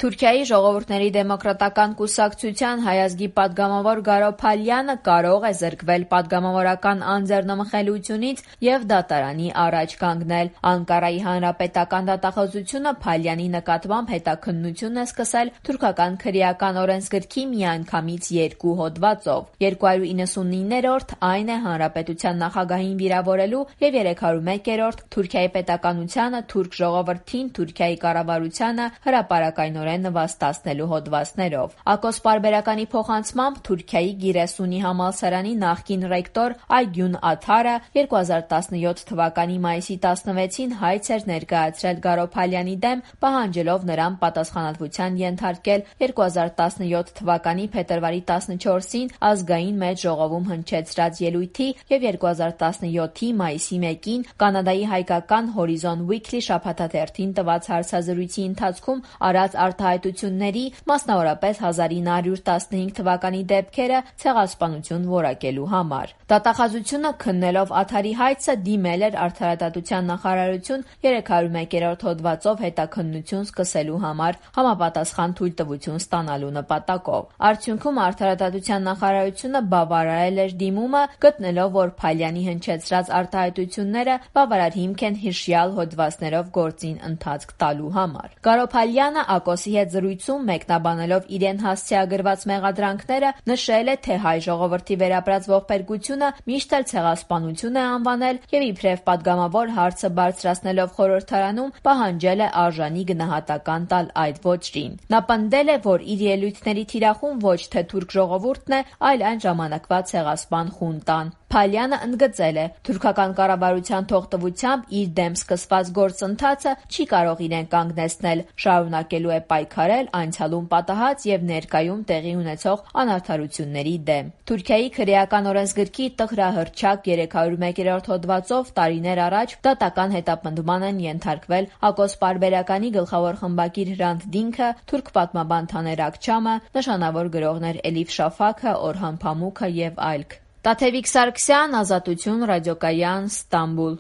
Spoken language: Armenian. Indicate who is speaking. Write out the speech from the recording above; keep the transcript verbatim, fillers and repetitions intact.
Speaker 1: Թուրքիայի ժողովուրդների դեմոկրատական կուսակցության հայազգի պատգամավոր Գարո Փալյանը կարող է զրկվել պատգամավորական անձեռնմխելիությունից և դատարանի առաջ կանգնել։ Անկարայի հանրապետական դատախազությունը Փալյանի նկատմամբ հետաքննություն է սկսել թուրքական քրեական օրենսգրքի միանգամից երկու հոդվածով։ երկու հարյուր իննսունիններորդ այն է հանրապետության նախագահին վիրավորելու և երեք հարյուր մեկերորդ Թուրքիայի պետականությանը, թուրք ժողովրդին, Թուրքիայի կառավարությանը հրապարակայնորեն նվաստացնելու հոդվածներով։ Ակոս պարբերականի փոխանցմամբ Թուրքիայի Գիրեսունի համալսարանի նախկին ռեկտոր Այգյուն Աթարը երկու հազար տասնյոթ թվականի մայիսի տասնվեցին հայց էր ներկայացրել Գարո Փալյանի դեմ, պահանջելով նրան պատասխանատվության ենթարկել երկու հազար տասնյոթ թվականի փետրվարի տասնչորսին ազգային մեծ ժողովում հնչեցրած ելույթի և երկու հազար տասնյոթի մայիսի մեկին Կանադայի հայկական Horizon Weekly շաբաթաթերթին տված հարցազրույցի ընթացքում արած արտահայտությունների, մասնավորապես հազար ինը հարյուր տասնհինգ թվականի դեպքերը ցեղասպանություն որակելու համար։ Դատախազությունը քննելով Աթարի հայցը դիմել էր Արդարադատության նախարարություն երեք հարյուր մեկերորդ հոդվածով հետաքննություն սկսելու համար համապատասխան թույլտվություն ստանալու նպատակով։ Արդյունքում Արդարադատության նախարարությունը բավարարել էր դիմումը, գտնելով, որ Փալյանի հնչեցրած արտահայտությունները բավարար հիմք են հիշյալ հոդվածներով գործին ընթացք տալու համար։ Գարո Փալյանը Ակոսի հետ զրույցում մեկնաբանելով իրեն հասցեագրված մեղադրանքները նշել է, թե հայ ժողովրդի վերապրած ողբերգությունը միշտ էլ ցեղասպանություն է անվանել և իբրև պատգամավոր հարցը բարձրացնելով խորհրդարանում պահանջել է արժանի գնահատական տալ այդ ոճրին։ Նա պնդել է, որ իր ելույթների թիրախում ոչ թե թուրք ժողովուրդն է, այլ այն ժամանակվա ցեղասպան խունտան։ Փալյանը ընդգծել է, թուրքական կառավարության թողտվությամբ իր դեմ սկսված գործընթացը չի կարող իրեն կանգնեցնել, շարունակելու է պայքարել անցյալում պատահած և ներկայում տեղի ունեցող անարդարությունների դեմ։ Թուրքիայի քրեական օրենսգրքի տխրահռչակ երեք հարյուր մեկերորդ հոդվածով տարիներ առաջ դատական հետապնդման են ենթարկվել Ակոս պարբերականի գլխավոր խմբագիր Հրանտ Դինքը, թուրք պատմաբան Թաներ Աքչամը, նշանավոր գրողներ Էլիֆ Շաֆաքը, Օրհան Փամուքը և այլք։ Տաթևիկ Սարգսյան, Ազատություն, Ռադիոկայան, Ստամբուլ։